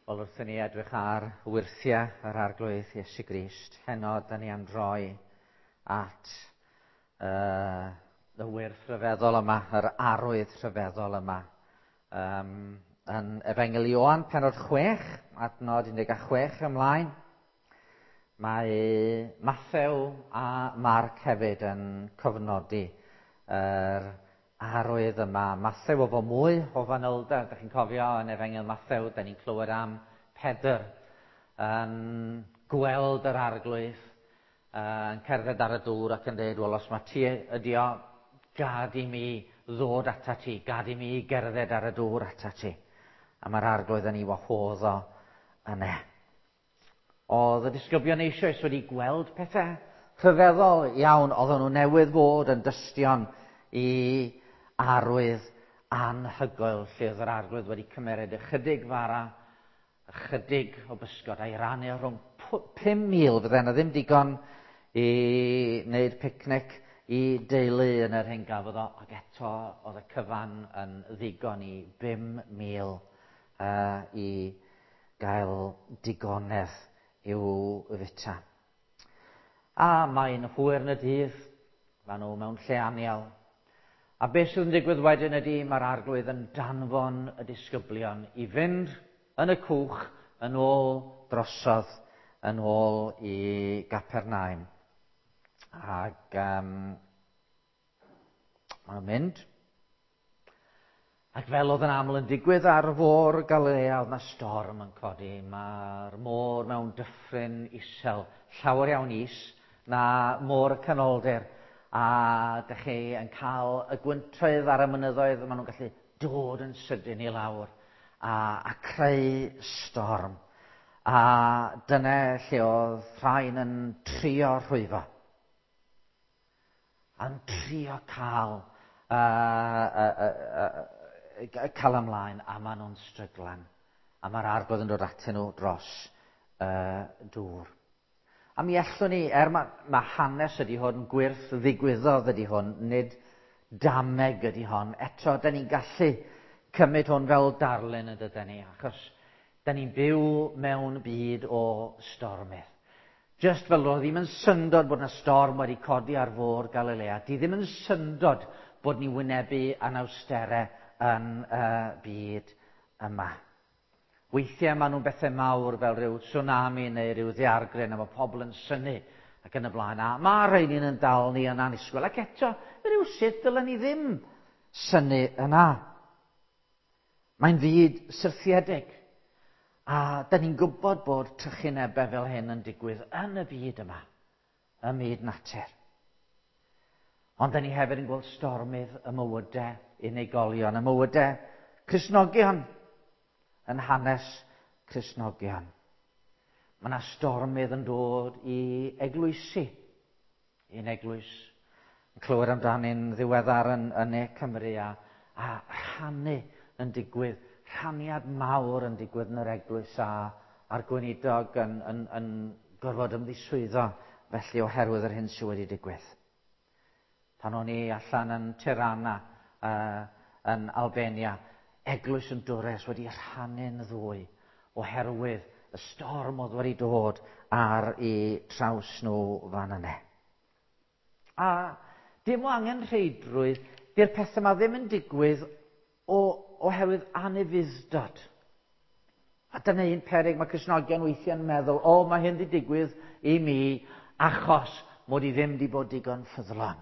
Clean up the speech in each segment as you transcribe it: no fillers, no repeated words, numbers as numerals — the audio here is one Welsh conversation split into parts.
Wel, wrth i ni edrych ar wyrthiau yr Arglwydd Iesu Grist, heno da ni am droi at y wyrth rhyfeddol yma, yr arwydd rhyfeddol yma. Yn Efengyl Ioan, pennod 6, adnod 16 ymlaen, mae Mathew a Marc hefyd yn cofnodi yr arwydd yma. Mathew efo mwy o fanylder. Dych chi'n cofio yn Efengyl Mathew, da ni'n clywed am Pedr yn gweld yr Arglwydd yn cerdded ar y dŵr ac yn dweud, wel, os mae ti ydi o, gad i mi ddod ata ti, gad i mi gerdded ar y dŵr ata ti. A mae'r Arglwydd yn ei wahodd o yna. Oedd y disgyblion eisoes wedi gweld pethau rhyfeddol iawn. Oedden nhw newydd fod yn dystion i arwydd anhygoel lle oedd yr Arglwydd wedi cymeryd ychydig fara, ychydig o bysgod a'i rannu rhwng 5,000. Fydde yna ddim digon i wneud picnic i deulu yn yr hyn gafodd o, ac eto oedd y cyfan yn ddigon i 5,000 i gael digonedd i'w fita. A mae'n hwyr yn y dydd, maen nhw mewn lle anial. A beth sydd yn digwydd wedyn ydy mae'r Arglwydd yn danfon y disgyblion i fynd yn y cwch yn ôl drosodd, yn ôl i Gapernaum. Ac maen nhw'n mynd. Ac fel oedd yn aml yn digwydd ar fôr Galilea, oedd 'na storm yn codi. Mae'r môr mewn dyffryn isel, llawer iawn is na môr y canoldir. A dych chi yn cael y gwyntoedd ar y mynyddoedd, maen nhw'n gallu dod yn sydyn i lawr a creu storm. A dyna lle oedd rhain yn trio rhwyfo. A'n trio cael cael ymlaen, a maen nhw'n stryglan. A mae'r Arglwydd yn dod atyn nhw dros dŵr. A mi allwn ni, er mae hanes ydy hwn, gwyrth ddigwyddodd ydy hwn, nid dameg ydy hon. Eto, da ni'n gallu cymryd hwn fel darlun yn dydyn ni, achos da ni'n byw mewn byd o stormydd. Just fel oedd ddim yn syndod bod yna storm wedi codi ar fôr Galilea, di ddim yn syndod bod ni wynebu anawsterau yn y byd yma. Weithiau maen nhw'n bethau mawr fel rhyw tsunami neu rhyw ddaeargryn a mae pobl yn synnu ac yn y blaen. A mae rheini'n yn dal ni yn annisgwyl. Ac eto, rhywsut dylen ni ddim synnu yna. Mae'n fyd syrthiedig. A da ni'n gwybod bod trychinebau fel hyn yn digwydd yn y byd yma, ym myd natur. Ond da ni hefyd yn gweld stormydd y mywydau unigolion, y mywydau Cristnogion, yn hanes Cristnogion. Mae yna stormydd yn dod i eglwysi, un eglwys yn clywed amdani'n ddiweddar yn Ne Cymru a rhannu yn digwydd, rhaniad mawr yn digwydd yn yr eglwys a'r gweinidog yn gorfod ymddiswyddo felly oherwydd yr hyn sydd wedi digwydd. Pan o'n i allan yn Tirana yn Albania, eglwys yn Dwres wedi rhannu'n ddwy oherwydd y storm oedd wedi dod ar eu traws nhw fan yna. A dim o angen rheidrwydd, di'r pethau yma ddim yn digwydd oherwydd anufudd-dod. A dyna un peryg mae Cristnogion weithiau'n meddwl, o, mae hyn wedi digwydd i mi achos mod i ddim wedi bod digon ffyddlon.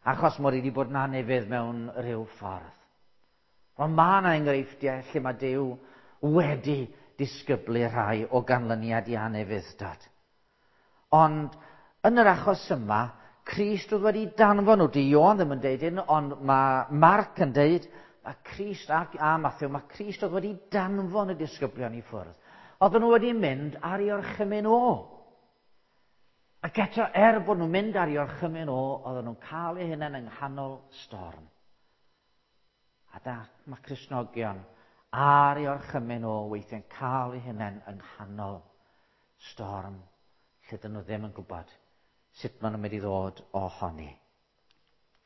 Achos mod i wedi bod yn anufudd mewn rhyw ffordd. Ond mae yna enghreifftiau lle mae Duw wedi disgyblu rhai o ganlyniad i anufudd-dod. Ond yn yr achos yma, Crist oedd wedi danfon nhw. Di Ioan ddim yn deud hyn, ond mae Marc yn deud, mae Crist a Mathew, mae Crist oedd wedi danfon y disgyblion i ffwrdd. Oedden nhw wedi mynd ar ei orchymyn o. Ac eto, er bod nhw'n mynd ar ei orchymyn o, oedden nhw'n cael eu hunain yng nghanol storm. A da, mae Cristnogion ar ei orchymyn o weithiau'n cael eu hunain yng nghanol storm lle dyn nhw ddim yn gwybod sut maen nhw'n mynd i ddod ohoni.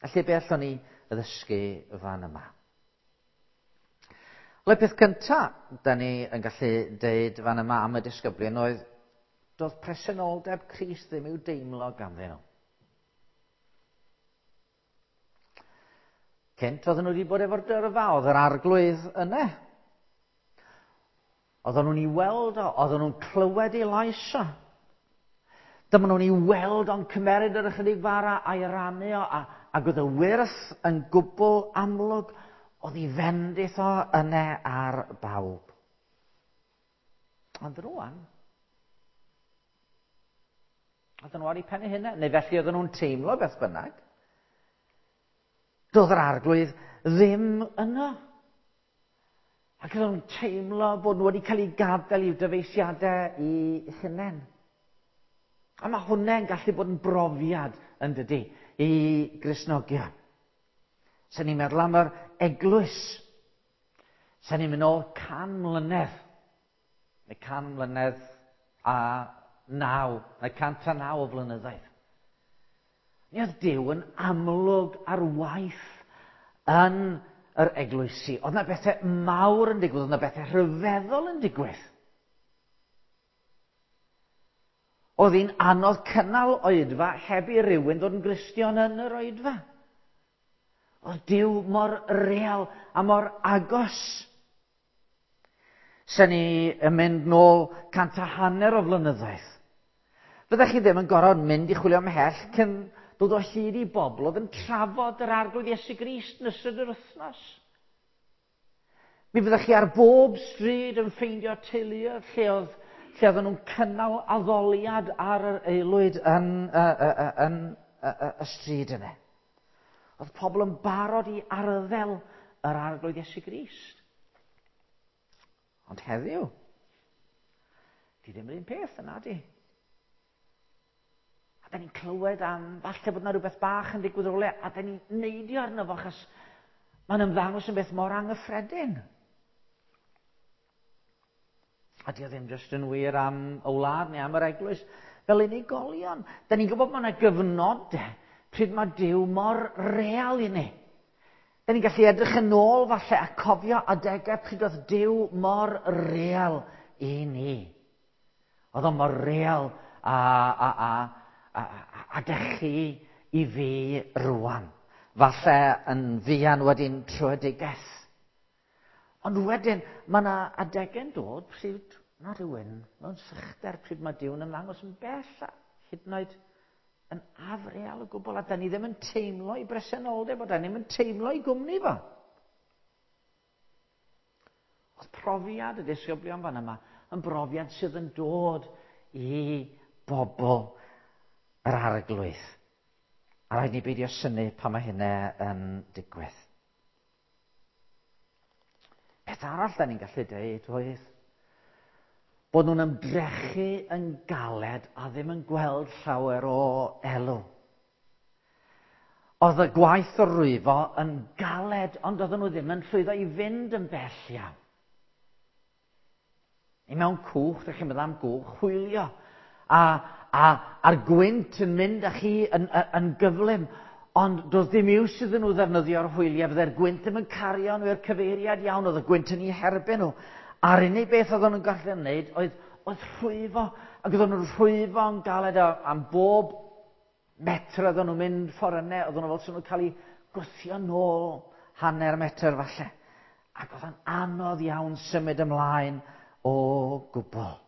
Felly be allwn ni ddysgu fan yma? Wel, y peth cyntaf da ni yn gallu deud fan yma am y disgyblion oedd doedd presenoldeb Crist ddim i'w deimlo ganddyn nhw. Cynt oedden nhw wedi bod efo'r dyrfa, oedd yr arglwydd yna. Oedden nhw'n ei weld o, oedden nhw'n clywed ei lais o. Dyma nhw'n ei weld o'n cymeryd yr ychydig fara a'i rannu o, a, ac oedd y wyrth yn gwbl amlwg, oedd ei fendith o yna ar bawb. Ond rwan, oedden nhw ar eu pen eu hunain, neu felly oedden nhw'n teimlo beth bynnag. Doedd yr arglwydd ddim yno. Ac oedden nhw'n teimlo bod nhw wedi cael eu gadael i'w dyfeisiadau i hunain. A mae hwnna'n gallu bod yn brofiad, yn dydy, i Gristnogion. Sen ni'n meddwl am yr eglwys. Sen ni'n mynd ôl 100 mlynedd. Neu 109, neu 109 o flynyddoedd. Mi oedd Duw yn amlwg ar waith yn yr eglwysi. Oedd yna bethau mawr yn digwydd, oedd yna bethau rhyfeddol yn digwydd. Oedd hi'n anodd cynnal oedfa heb i rywun ddod yn Gristion yn yr oedfa. Oedd Duw mor real a mor agos. Sen ni yn mynd nôl 150 o flynyddoedd. Fyddech chi ddim yn gorfod mynd i chwilio ymhell cyn dod o hyd i bobl oedd yn trafod yr Arglwydd Iesu Grist yn ystod yr wythnos. Mi fyddech chi ar bob stryd yn ffeindio teuluoedd lle oedd lle oedden nhw'n cynnal addoliad ar yr aelwyd yn, yn, yn y stryd yna. Oedd pobl yn barod i arddel yr Arglwydd Iesu Grist. Ond heddiw, di ddim yr un peth yna, di. A da ni'n clywed am falle bod yna rhywbeth bach yn digwydd rhywle, a da ni'n neidio arno fo, achos mae'n ymddangos yn beth mor anghyffredin. A di o ddim jyst yn wir am y wlad neu am yr eglwys. Fel unigolion, da ni'n gwybod bod yna gyfnodau pryd mae Duw mor real i ni. Da ni'n gallu edrych yn ôl falle a cofio adegau pryd oedd Duw mor real i ni. Oedd o mor real a, a, a, a, a, a dych chi i fi rwan. Falle yn fuan wedi'n tröedigaeth. Ond wedyn, mae yna adegau'n dod pryd mae rhywun mewn sychder, pryd mae Duw'n ymddangos yn bell a hyd yn oed yn afreal o gwbl, a da ni ddim yn teimlo i bresenoldeb, a da ni ddim yn teimlo i gwmni fo. Oedd profiad y disgyblion fan yma yn brofiad sydd yn dod i bobl yr Arglwydd. A rhaid ni beidio synnu pan mae hynna yn digwydd. Peth arall da ni'n gallu deud oedd bod nhw'n ymdrechu yn galed a ddim yn gweld llawer o elw. Oedd y gwaith o rwyfo yn galed, ond oedden nhw ddim yn llwyddo i fynd yn bell iawn. I mewn cwch, ydych chi'n meddwl am gwch, hwylio. A, a, a'r gwynt yn mynd â chi yn, yn, yn gyflym. Ond doedd dim iws iddyn nhw ddefnyddio'r hwyliau, fydde'r gwynt ddim yn cario nhw i'r cyfeiriad iawn, oedd y gwynt yn eu herbyn nhw. A'r unig beth oedden nhw'n gallu wneud oedd, oedd rhwyfo, ac oedden nhw'n rhwyfo yn galed am bob metr oedden nhw'n mynd ffordd yna, oedden nhw fel sy'n nhw'n cael eu gwthio nôl hanner metr falle. Ac oedd o'n anodd iawn symud ymlaen o gwbl.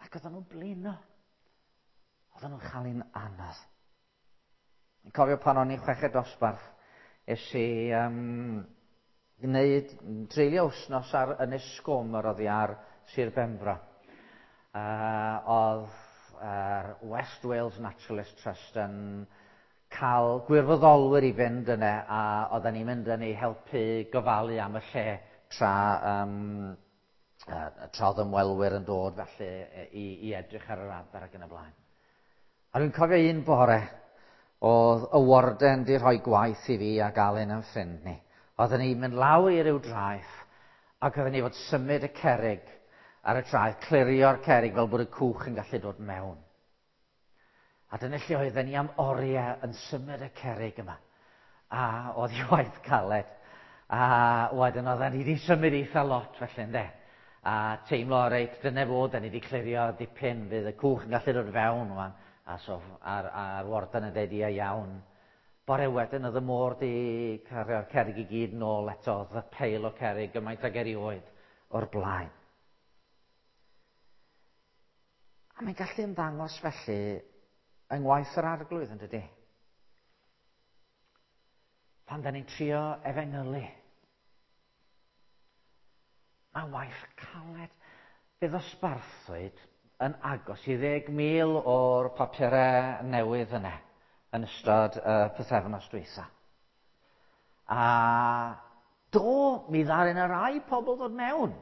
Ac oedden nhw'n blino. Oedden nhw'n chael un anodd. Yn cofio pan o'n i'n chweched dosbarth, es i gwneud, treulio wythnos ar Ynys Sgomer oddi ar Sir Benfro. Oedd West Wales Naturalist Trust yn cael gwirfoddolwyr i fynd yna, a oedden ni'n mynd yn ei helpu gofalu am y lle tra, tra oedd ymwelwyr yn dod felly i, i edrych ar yr adar ac yn y blaen. A dwi'n cofio un bore, oedd y warden di rhoi gwaith i fi a gael un yn ffrind ni. Oedden ni'n mynd lawr i ryw draeth, ac oedden ni fod symud y cerrig ar y traeth, clirio'r cerrig fel bod y cwch yn gallu dod mewn. A dyna lle oedden ni am oriau yn symud y cerrig yma. A oedd hi waith caled. A wedyn oedden ni wedi symud eitha lot felly, ynde? A teimlo, reit, dyna fo, da ni wedi clirio dipyn, fydd y cwch yn gallu dod fewn wan. A so, a'r warden yn dweud, ia iawn. Bore wedyn oedd y môr di cario'r cerrig i gyd nôl eto, oedd y peil o cerrig gymaint ag erioed o'r blaen. A mae'n gallu ymddangos felly yng ngwaith yr arglwydd, yn dydy? Pan da ni'n trio efengylu. Mae'n waith caled. Fe ddosbarthwyd yn agos i 10,000 o'r papurau newydd yna yn ystod y pythefnos dwytha. A do, mi ddaru yna rai pobl ddod mewn.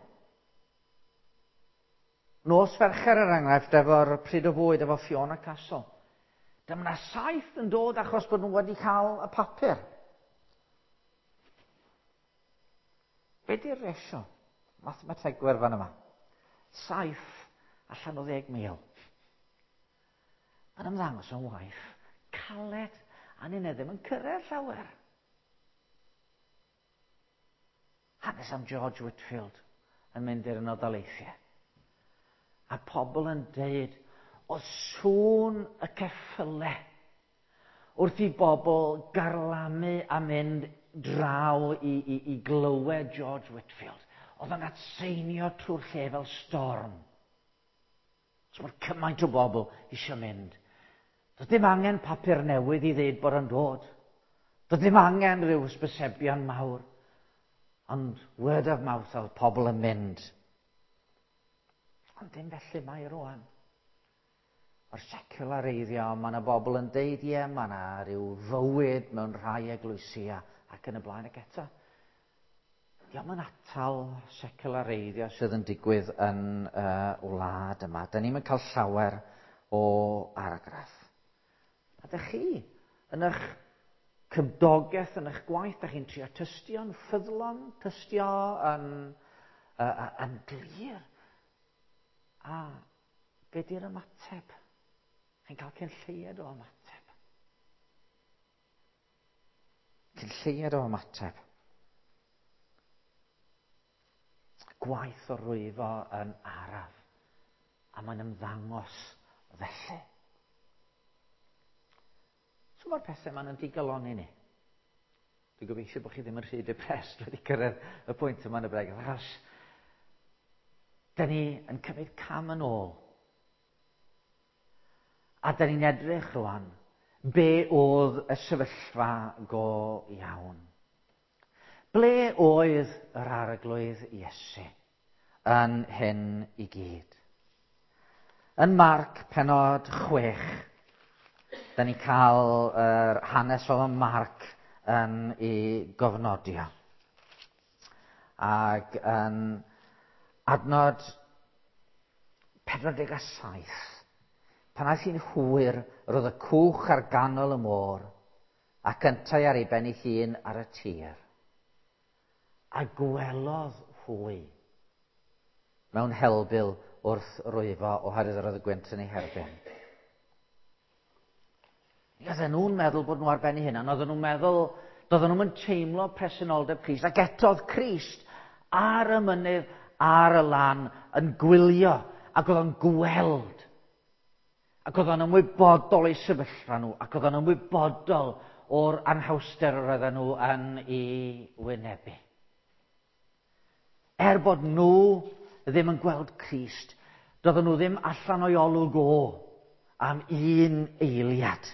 Nos Fercher, er enghraifft, efo'r pryd o fwyd efo Fiona Castle. Dyma yna 7 yn dod achos bod nhw wedi cael y papur. Be di'r ratio? Mathemategwyr fan yma. 7 allan o 10,000. Mae'n ymddangos yn waith caled, a ni'n ddim yn cyrraedd llawer. Hanes am George Whitefield yn mynd i'r Unol Daleithiau. A pobl yn deud, o sŵn y ceffyle wrth i bobl garlamu a mynd draw i glywed George Whitefield. Oedd o'n atseinio trwy'r lle fel storm. So mae cymaint o bobl eisiau mynd. Doedd dim angen papur newydd i ddeud bod o'n dod. Doedd dim angen rhyw hysbysebion mawr. Ond word of mouth oedd pobl yn mynd. Ond dim felly mae rwan. O'r seculareiddio, mae yna bobl yn deud, ie, mae yna rhyw fywyd mewn rhai eglwysi ac yn y blaen ac eto. Dio'm yn atal seculareiddio sydd yn digwydd yn y wlad yma. Da ni'm yn cael llawer o argraff. A dych chi, yn eich cymdogaeth, yn eich gwaith, dych chi'n trio tystio'n ffyddlon, tystio yn glir. A be di'r ymateb? Chi'n cael cyn lleied o ymateb. Cyn lleied o ymateb. Gwaith o rwyfo yn araf. A mae'n ymddangos felly. So mae'r pethau ma'n yn digalonni ni. Dwi'n gobeithio bod chi ddim yn rhy depressed wedi cyrraedd y pwynt yma yn y bregeth, achos da ni yn cymryd cam yn ôl. A da ni'n edrych rwan be oedd y sefyllfa go iawn. Ble oedd yr Arglwydd Iesu yn hyn i gyd? Yn Marc penod 6, da ni'n cael yr hanes fel mae Marc yn ei gofnodio. Ac yn adnod 47, pan aeth hi'n hwyr, roedd y cwch ar ganol y môr, ac yntau ar ei ben ei hun ar y tir. A gwelodd hwy mewn helbul wrth rwyfo oherwydd yr oedd y gwynt yn ei herbyn. Oedden nhw'n meddwl bod nhw ar ben eu hunan, oedden nhw'n meddwl, doedden nhw'n teimlo presenoldeb Crist, ac eto oedd Crist ar y mynydd, ar y lan, yn gwylio, ac oedd o'n gweld. Ac oedd o'n ymwybodol o'i sefyllfa nhw, ac oedd o'n ymwybodol o'r anhawster yr oedden nhw yn ei wynebu. Er bod nhw ddim yn gweld Crist, doedden nhw ddim allan o'i olwg o am un eiliad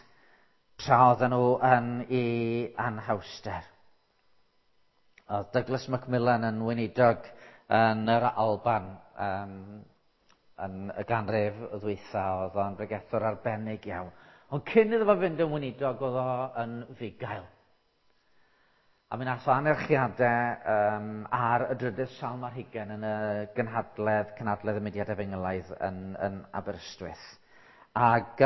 tra oedden nhw yn ei anhawster. Oedd Douglas Macmillan yn weinidog yn yr Alban, yn y ganrif ddwytha, oedd o'n bregethwr arbennig iawn. Ond cyn iddo fo fynd yn weinidog, oedd o yn fugail. A mi nath o anerchiadau ar y drydydd salm ar hugain yn y cynhadledd y Mudiad Efengylaidd yn Aberystwyth. Ac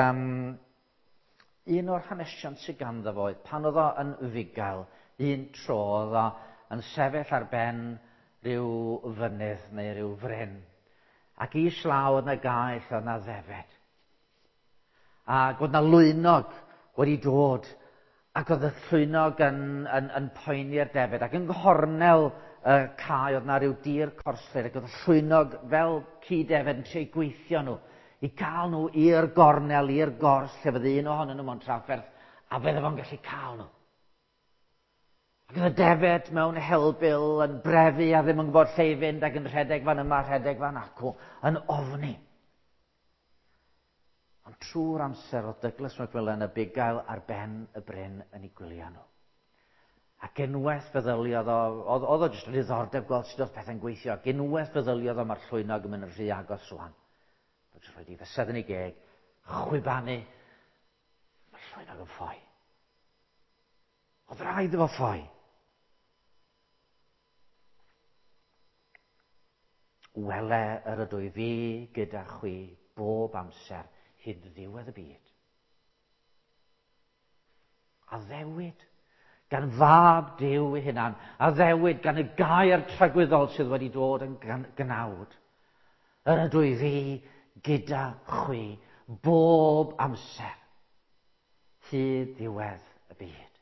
un o'r hanesion sydd ganddo fo oedd pan oedd o yn fugail, un tro oedd o yn sefyll ar ben rhyw fynydd neu rhyw fryn. Ac islaw oedd na gaeth, oedd na ddefed. Ac oedd na lwynog wedi dod Ac oedd y llwynog yn poeni'r defed, ac yng nghornel y cae oedd na rhyw dir corslyd, ac oedd y llwynog fel ci defed yn trio gweithio nhw, i gael nhw i'r gornel, i'r gors, lle fydde un ohonyn nhw mewn trafferth, a fydde fo'n gallu cael nhw. Ac oedd y defed mewn helbul yn brefu a ddim yn gwybod lle i fynd ac yn rhedeg fan yma, rhedeg fan acw, yn ofni. Ond trwy'r amser oedd Douglas Macmillan y bugail ar ben y bryn yn ei gwylio nhw. Ac unwaith feddyliodd o, oedd o jyst yn ddiddordeb gweld sut oedd pethau'n gweithio, ac unwaith feddyliodd o mae'r llwynog yn mynd yn rhy agos rwan. Oedd jyst rhaid i fysedd yn ei geg, chwibanu, mae'r llwynog yn ffoi. Oedd rhaid iddo fo ffoi. Wele yr ydw i fi gyda chwi bob amser hyd ddiwedd y byd. Addewid gan fab Duw ei hunan, addewid gan y gair tragwyddol sydd wedi dod yn gnawd. Yr ydw i fi gyda chwi bob amser hyd ddiwedd y byd.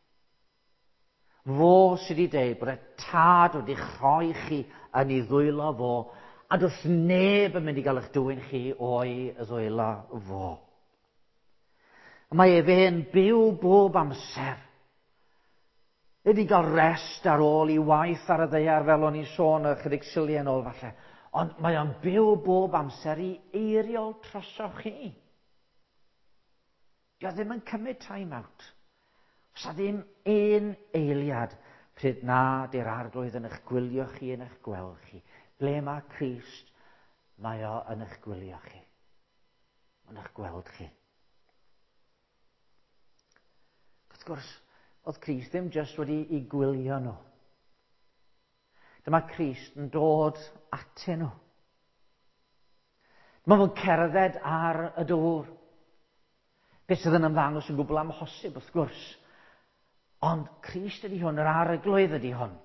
Fo sydd wedi dweud bod y tad wedi rhoi chi yn ei ddwylo fo, a does neb yn mynd i gael eich dwyn chi o'i ddwylo fo. Mae efe yn byw bob amser. Wedi gael rest ar ôl i waith ar y ddaear fel o'n i'n sôn ychydig siliau yn ôl falle. Ond mae o'n byw bob amser i eiriol trosoch chi. Dio ddim yn cymryd time out. Oes 'na ddim un eiliad pryd na di'r arglwydd yn eich gwylio chi, yn eich gweld chi. Ble mae Crist, mae o yn eich gwylio chi. Yn eich gweld chi. Wrth gwrs, oedd Crist ddim jyst wedi i gwylio nhw. Dyma Crist yn dod atyn nhw. Dyma fo'n cerdded ar y dŵr. Beth sydd yn ymddangos yn gwbl amhosib, wrth gwrs. Ond Crist ydy hwn, yr arglwydd ydy hwn.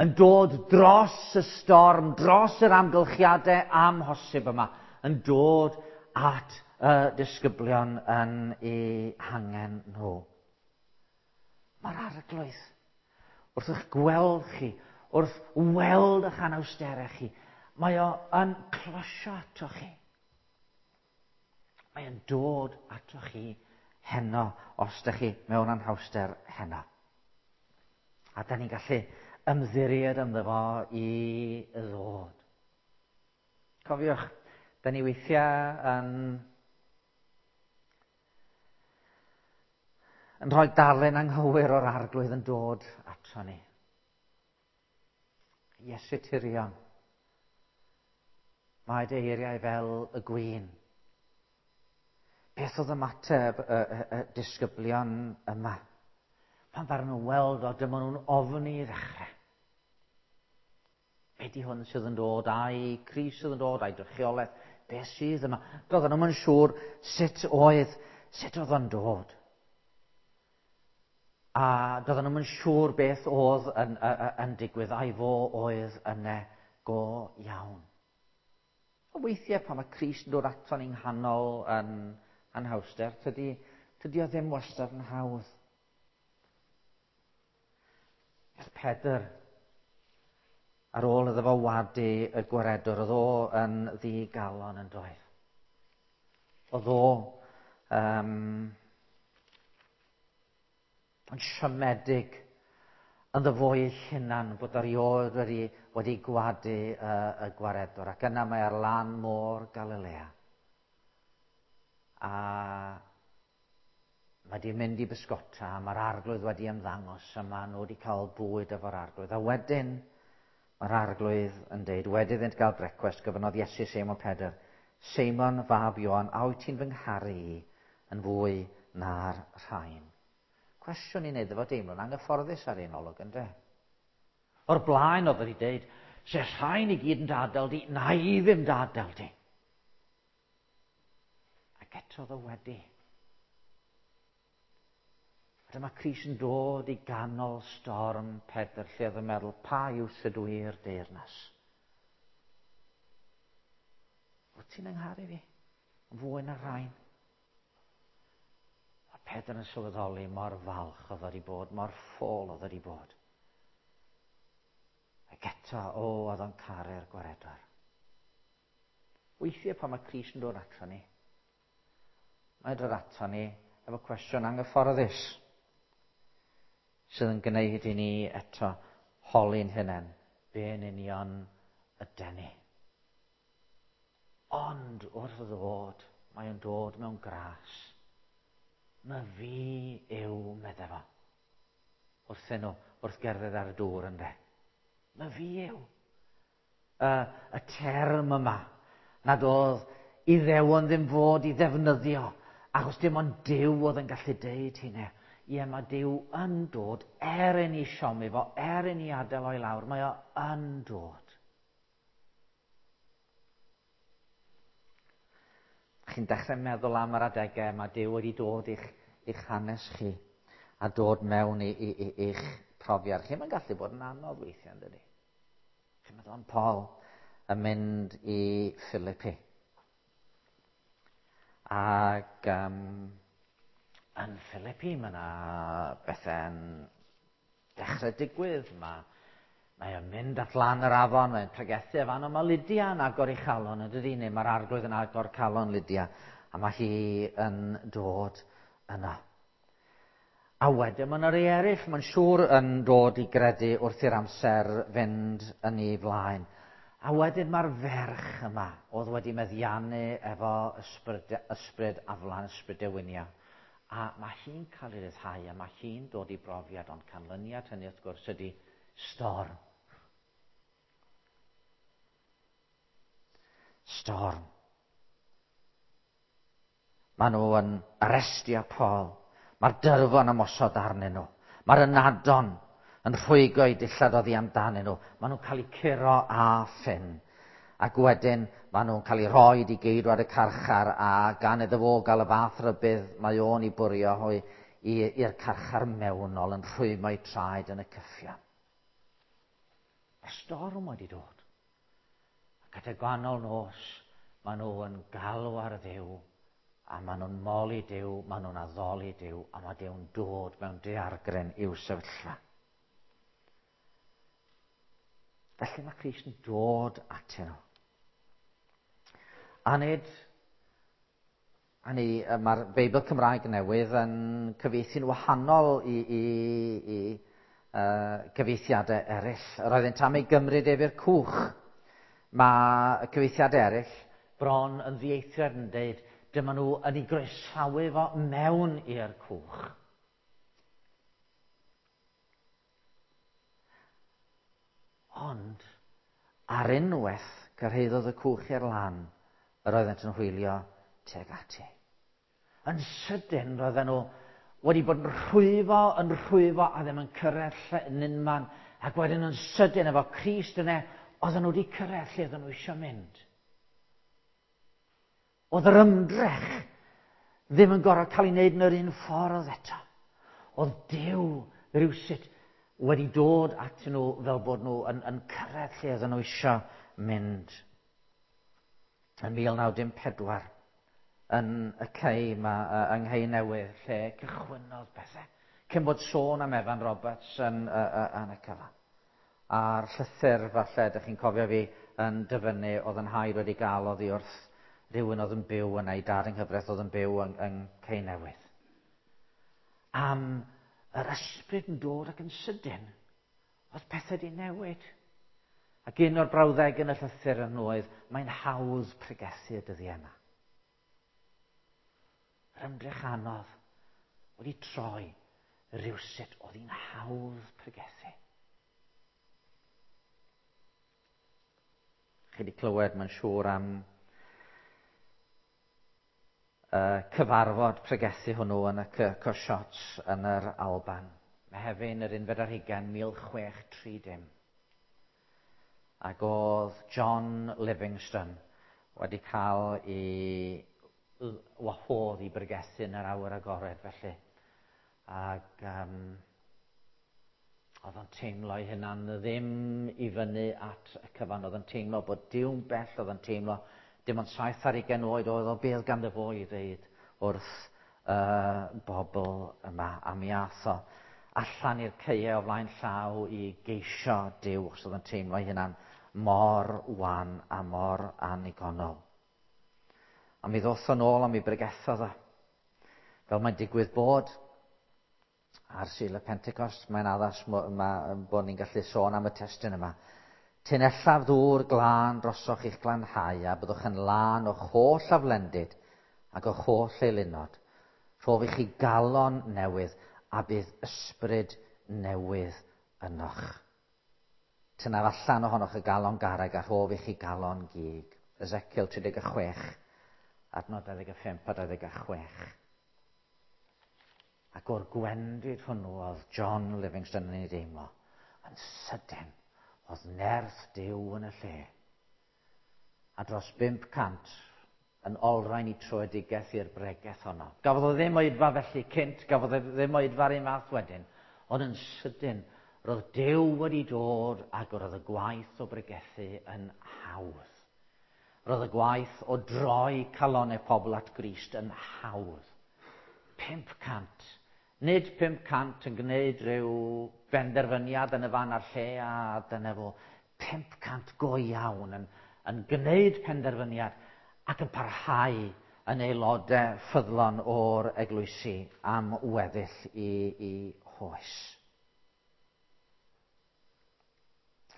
Yn dod dros y storm, dros yr amgylchiadau amhosib yma. Yn dod at y disgyblion yn eu hangen nhw. Mae'r arglwydd, wrth eich gweld chi, wrth weld eich anawsterau chi, mae o yn closio ato chi. Mae o'n dod ato chi heno, os ydych chi mewn anhawster heno. A da ni'n gallu ymddiried ynddo fo i ddod. Cofiwch, da ni weithiau yn rhoi darlun anghywir o'r arglwydd yn dod ato ni. Iesu Tirion, mae dy eiriau fel y gwin. Beth oedd ymateb y disgyblion yma? Pan ddaru nhw weld o, dyma nhw'n ofni i ddechrau. Be di hwn sydd yn dod, a'i Crist sydd yn dod, a'i drychiolaeth, beth sydd yma? Doedden nhw'm yn siŵr sut oedd o'n dod. A doedden nhw'm yn siŵr beth oedd yn digwydd, a'i fo oedd yna go iawn. A weithiau pan mae Crist yn dod ato ni'n nghanol yn anhawster, tydi o ddim wastad yn hawdd. Er Pedr, ar ôl iddo fo wadu y gwaredwr, oedd o yn ddigalon yn doedd. Oedd o yn siomedig ynddo fo ei hunan bod erioed wedi gwadu y gwaredwr. Ac yna mae ar lan môr Galilea. A mae di mynd i bysgota, mae'r arglwydd wedi ymddangos, a maen nhw wedi cael bwyd efo'r arglwydd. A wedyn, mae'r arglwydd yn deud, wedi iddynt gael brecwast, gofynnodd Iesu Seimon Pedr, Seimon fab Ioan, a wyt ti'n fy ngharu i yn fwy na'r rhain? Cwestiwn i wneud efo deimlo'n anghyfforddus ar un olwg, ynde? O'r blaen oedd wedi deud, se rhain i gyd yn dadael di, na i ddim dadael di. Ac eto oedd o wedi. A dyma Crist yn dod i ganol storm Pedr, lle oedd yn meddwl, pa yw ydw i'r deyrnas? Wyt ti'n yngharu fi? Yn fwy na'r rhain? Pedr yn sylweddoli mor falch oedd wedi bod, mor ffôl oedd wedi bod. Ac eto, o, oedd o'n caru'r gwaredwr. Weithiau pan mae Crist yn dod ato ni, mae'n dod ato ni efo cwestiwn anghyfforddus sydd yn gwneud i ni eto holi'n hunain, be yn union yden ni. Ond wrth ddod, mae o'n dod mewn gras. Mae fi yw, medde fo. Wrthyn nhw, wrth gerdded ar y dŵr ynde. Mae fi yw. Y, y term yma, nad oedd Iddewon ddim fod i ddefnyddio, achos dim ond Duw oedd yn gallu deud hynny. Ie, mae Duw yn dod, er i ni siomi fo, er i ni adael o'i lawr, mae o yn dod. Chi'n dechrau meddwl am yr adegau mae Duw wedi dod i'ch, i'ch hanes chi a dod mewn i, i, i, i'ch profiad chi. Mae'n gallu bod yn anodd weithiau, yn dydy? Chi'n meddwl am Paul yn mynd i Philippi. Ac um, yn Philippi mae yna bethau'n dechrau digwydd. Mae, mae o'n mynd at lan yr afon, mae'n pregethu efo ond mae Lydia yn agor ei chalon, yn dydy, neu mae'r arglwydd yn agor calon Lydia, a mae hi yn dod yna. A wedyn mae yna rei eraill, mae'n siŵr, yn dod i gredu wrth i'r amser fynd yn ei flaen. A wedyn mae'r ferch yma oedd wedi meddiannu efo ysbryd, ysbryd aflan, ysbryd dewinia. A mae hi'n cael ei ryddhau a mae hi'n dod i brofiad, ond canlyniad hynny wrth gwrs ydy storm. Storm. Maen nhw yn arestio Paul. Mae'r dyrfon ymosod arnyn nhw. Mae'r ynadon yn rhwygo eu dillad oddi amdanyn nhw. Maen nhw'n cael eu curo a ffyn. Ac wedyn maen nhw'n cael eu rhoi i geidwad y carchar a gan iddo fo gael y fath rybudd mae o'n i bwrio hwy i'r carchar mewnol yn rhwymo eu traed yn y cyffion. Mae'r storm wedi dod. Ac at y gwahanol nos, maen nhw yn galw ar Dduw, a maen nhw'n moli Duw, maen nhw'n addoli Duw, a mae Duw'n dod mewn daeargryn i'w sefyllfa. Felly mae Crist yn dod atyn nhw. A nid, a ni, mae'r Beibl Cymraeg newydd yn cyfieithu'n wahanol i, i, i cyfieithiadau eraill. Yr oeddynt am ei gymryd ef i'r cwch. Mae y cyfieithiadau eraill bron yn ddieithriad yn dweud dyma nhw yn ei groesawu fo mewn i'r cwch. Ond, ar unwaith cyrhaeddodd y cwch i'r lan, yr oeddent yn hwylio tuag ati. Yn sydyn, roedden nhw wedi bod yn rhwyfo, yn rhwyfo, a ddim yn cyrraedd lle yn unman. Ac wedyn yn sydyn, efo Crist yna, oedden nhw wedi cyrraedd lle oedden nhw eisiau mynd. Oedd yr ymdrech ddim yn gorfod cael ei wneud yn yr un ffordd eto. Oedd Duw rhywsut wedi dod atyn nhw fel bod nhw yn, yn cyrraedd lle oedden nhw eisiau mynd. Yn 1914, yn y cei yma, yng Nghei Newydd, lle cychwynnodd pethau. Cyn bod sôn am Evan Roberts yn, yn y cyfan. A'r llythyr, falle, ydych chi'n cofio fi yn dyfynnu, oedd yn haid wedi gael oddi wrth rhywun oedd yn byw yna, ei dad yng nghyfraith oedd yn byw yng, yng Cei Newydd. Am yr ysbryd yn dod ac yn sydyn, oedd pethau wedi newid. Ac un o'r brawddeg yn y llythyr yn oedd, mae'n hawdd pregethu y dyddiau yma. Yr ymdrech anodd wedi troi rhywsut oedd hi'n hawdd pregethu. Chi wedi clywed, mae'n siŵr, am y cyfarfod pregethu hwnnw yn y Kirk o Shots yn yr Alban. Mehefin yr unfed ar hugain, 1630. Ac oedd John Livingstone wedi cael ei wahodd i bregethu yn yr awyr agored felly. Ac um, oedd o'n teimlo ei hunan ddim i fyny at y cyfan. Oedd o'n teimlo bod Duw'n bell, oedd o'n teimlo dim ond 27 oed oedd o beth ganddo fo i ddeud wrth y bobl yma. A mi ath o allan i'r caeau o flaen llaw i geisio Duw, achos oedd yn teimlo ei hunan mor wan a mor annigonol. A mi ddoth o'n ôl a mi bregethodd o. Fel mae'n digwydd bod ar Sul y Pentecost, mae'n addas bod ni'n gallu sôn am y testun yma. Tunellaf ddŵr glân drosoch i'ch glanhau a byddwch yn lân o'ch holl aflendid ac o'ch holl eilunod. Rhof i chi galon newydd a bydd ysbryd newydd ynoch. Tynnaf allan ohonoch y galon garreg a rhof i chi galon gig. Ezekiel 36, adnod 25 a 26. Ac o'r gwendid hwnnw oedd John Livingstone yn ei deimlo, yn sydyn, oedd nerth Duw yn y lle. A dros 500 yn olrhain i troedigaeth i'r bregeth honno. Gafodd o ddim oedfa felly cynt, gafodd o ddim oedfa'r un fath wedyn, ond yn sydyn, roedd Duw wedi dod ac roedd y gwaith o bregethu yn hawdd. Roedd y gwaith o droi calonnau pobl at Grist yn hawdd. 500. Nid 500 yn gwneud rhyw benderfyniad yn y fan a'r lle a dyna fo. 500 go iawn yn gwneud penderfyniad ac yn parhau yn aelodau ffyddlon o'r eglwysi am weddill i hoes.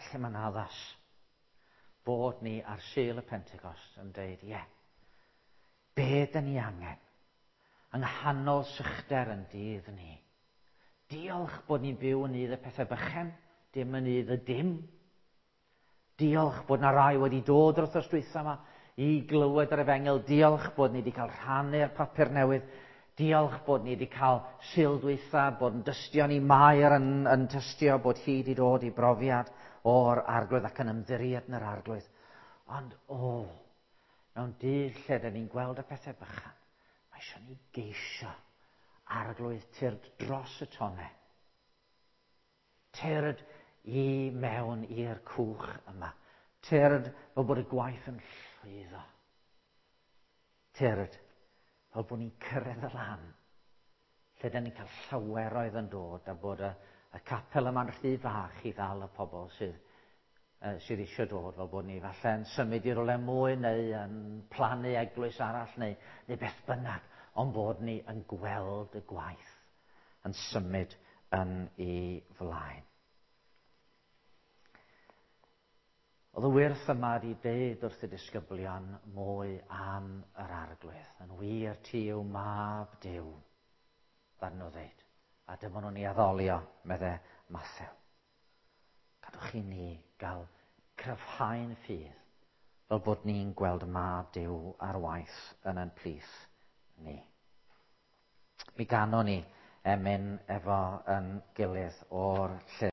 Lle mae'n addas bod ni ar Sul y Pentecost yn deud, ie, be dyn ni angen yng nghanol sychder yn dydd ni. Diolch bod ni'n byw yn nydd y pethau bychan, dim yn nydd y dim. Diolch bod na rai wedi dod yr wythnos dwytha yma i glywed yr efengyl. Diolch bod ni wedi cael rhannu'r papur newydd. Diolch bod ni wedi cael Sul dwytha, bod yn dystio ni Mair yn tystio bod hi wedi dod i brofiad o'r Arglwydd ac yn ymddiried yn yr Arglwydd. Ond mewn dydd lle dyn ni'n gweld y pethau bychan, mae eisiau ni geisio Arglwydd tyrd dros y tonnau. Tyrd i mewn i'r cwch yma. Tyrd fel bod y gwaith yn llwyddo. Tyrd fel bod ni'n cyrraedd y lan. Lle dyn ni'n cael llaweroedd yn dod a bod y capel yma'n rhy fach i ddal y pobl sydd eisiau dod, fel bod ni falle yn symud i rywle mwy neu yn plannu eglwys arall neu beth bynnag, ond bod ni yn gweld y gwaith yn symud yn ei flaen. Oedd y wyrth yma wedi deud wrth y disgyblion mwy am yr Arglwydd. Yn wir ti yw mab Duw, ddaru nhw ddeud. A dyma nhw'n ei addolio, medde Mathew. Gadwch i ni gael cryfhau'n ffydd, fel bod ni'n gweld mab Duw ar waith yn ein plith ni. Mi ganon ni emyn efo yn gilydd o'r llyfr.